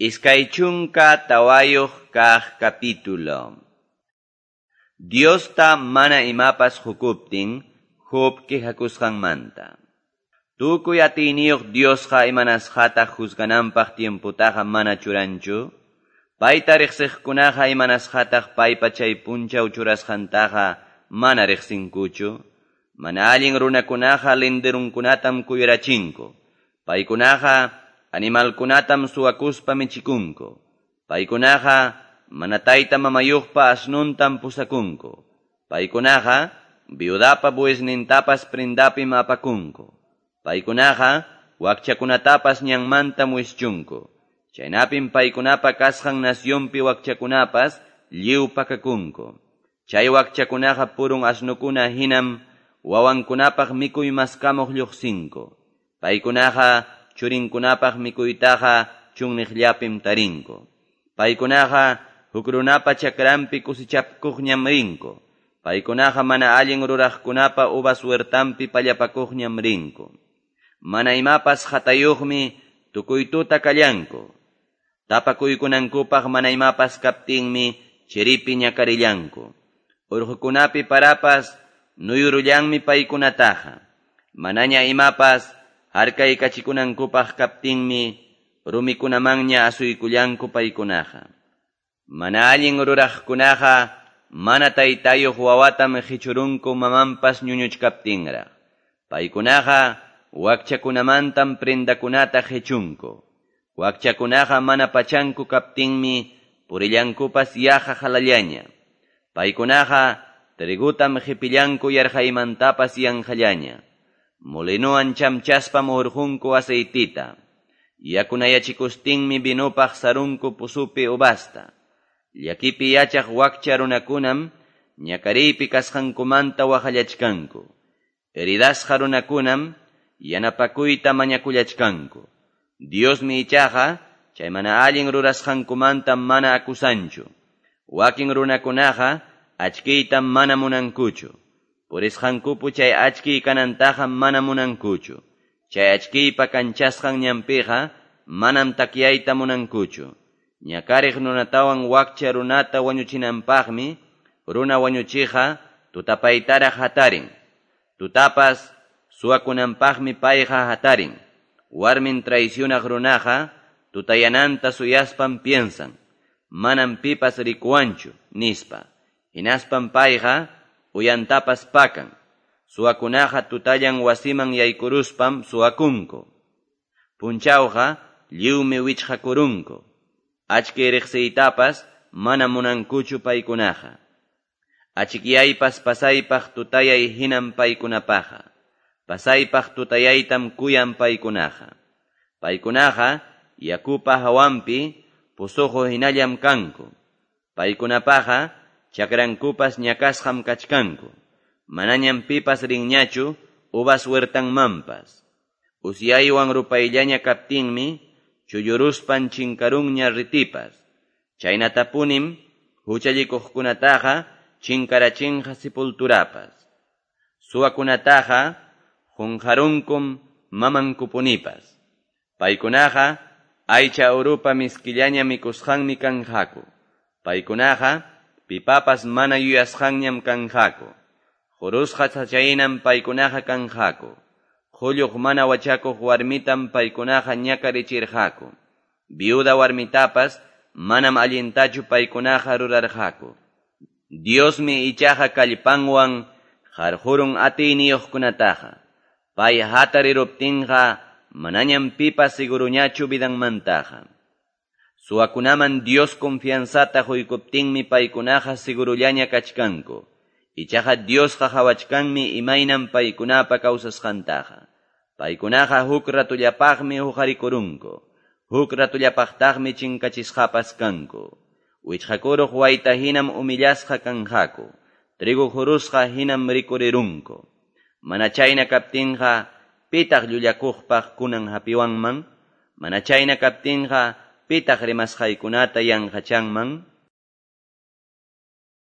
24 kaq capítulo. Diosta mana imapas qukuptin, Job quejakusqanmanta. Tukuy atiyniyuq Diosqa imanasqataq juzgananpaq tiemputaqa mana churanchu. Payta riqsiqkunaqa imanasqataq paypa chay punchaw churasqantaqa mana riqsinkuchu. Mana allin runakunaqa linderunkunatam kuyurachinku. Paykunaqa animalkunatam suwakuspa michikunku. Paykunaqa mana tayta mamayuqpa asnuntam pusakunku. Paykunaqa viudapa buesnintapas prendapim apakunku. Paykunaqa wakchakunatapas ñanmantam wischunku. Chaynapim paykunapa kasqan nacionpi wakchakunapas lliw pakakunku. Chay wakchakunaqa purun asnukuna hinam wawankunapaq mikuy maskamuq lluqsinku. Paykunaqa churinkunapaq mikuytaqa chunniqllapim tarinku. Paykunaqa huk runapa chakranpi kusichapkuqñam rinku. Paykunaqa mana allin ruraqkunapa uvas huertanpi pallapakuqñam rinku. Mana imapas hatayuqmi tukuy tuta kallanku. Tapakuykunankupaq mana imapas kaptinmi chiripi ñakarillanku. Urqukunapi parapas nuyurullanmi paykunataqa. Manaña imapas harkaykachikunankupaq kaptinmi rumikunamanña asuykullanku paykunaqa. Mana allin ruraqkunaqa mana taytayuq wawatam qichurunku mamanpas ñuñuchkaptinraq. Paykunaqa wakchakunamantam prendakunata qichunku. Wakchakunaqa mana pachanku kaptinmi purillankupas yaqa halallaña. Paykunaqa trigutam qipillanku yarqaymantapas yanqallaña. Molinowan chamchaspam urqunku aceitita. Yakunayachikustinmi vinupaq sarunku pusupi uvasta. Llakipi yachaq wakcha runakunam ñakariypi kasqankumanta waqallachkanku. Heridasqa runakunam yanapakuyta mañakullachkanku. Diosmi ichaqa chay mana allin rurasqankumanta mana acusanchu. Wakin runakunaqa achkiytam mana munankuchu. Purisqankupu chay achkiy kanantaqa mana munankuchu. Chay achkiypa kanchasqan ñanpiqa manam takyayta munankuchu. Ñakariq runatawan wakcha runata wañuchinanpaqmi runa wañuchiqa tutapaytaraq hatarin. Tutapas suwakunanpaqmi payqa hatarin. Warmin traicionaq runaqa tutayananta suyaspam piensan. Manam pipas rikuwanchu, nispa. Hinaspam payqa uyantapas pakan. Suwakunaqa tutallan wasiman yaykuruspam suwakunku. Punchawqa lliwmi wichqakurunku. Achki riqsiytapas mana munankuchu paykunaqa. Achikyaypas pasaypaq tutayay hinam paykunapaqa. Pasaypaq tutayaytam kuyan paykunaqa. Paykunaqa yakupa hawanpi pusuqu hinallam kanku. Paykunapaqa chakrankupas ñakasqam kachkanku. Manañam pipas rinñachu uvas huertanmanpas. Usyaywan rupayllaña kaptinmi chulluruspan chinkarunña ritipas. Chaynatapunim huchallikuqkunataqa chinkarachinqa sepulturapas. Suwakunataqa qunqarunkum mamankupunipas. Paykunaqa aycha urupa miskillaña mikusqanmi kanqaku. Paykunaqa pipapas mana yuyasqanñam kanqaku. Qurusqa sachahinam paykunaqa kanqaku. Qulluq mana wachakuq warmitam paykunaqa ñakarichirqaku. Viuda warmitapas manam allintachu paykunaqa rurarqaku. Diosmi ichaqa kallpanwan qarqurun atiyniyuqkunataqa. Pay hatariruptinqa manañam pipas seguruñachu vidanmantaqa. Suwakunaman Dios confianzata quykuptinmi paykunaqa segurullaña kachkanku. Ichaqa Diosqa qhawachkanmi imaynam paykunapa kawsasqantaqa. Paykunaqa huk ratullapaqmi huqarikurunku. Huk ratullapaqtaqmi chinkachisqapas kanku. Wichqakuruq wayta hinam humillasqa kanqaku. Trigo qurusqa hinam rikurirunku. Mana chayna kaptinqa pitaq llullakuqpaq kunan hapiwanman. Mana chayna kaptinqa pitaq rimasqaykunata yanqachanman.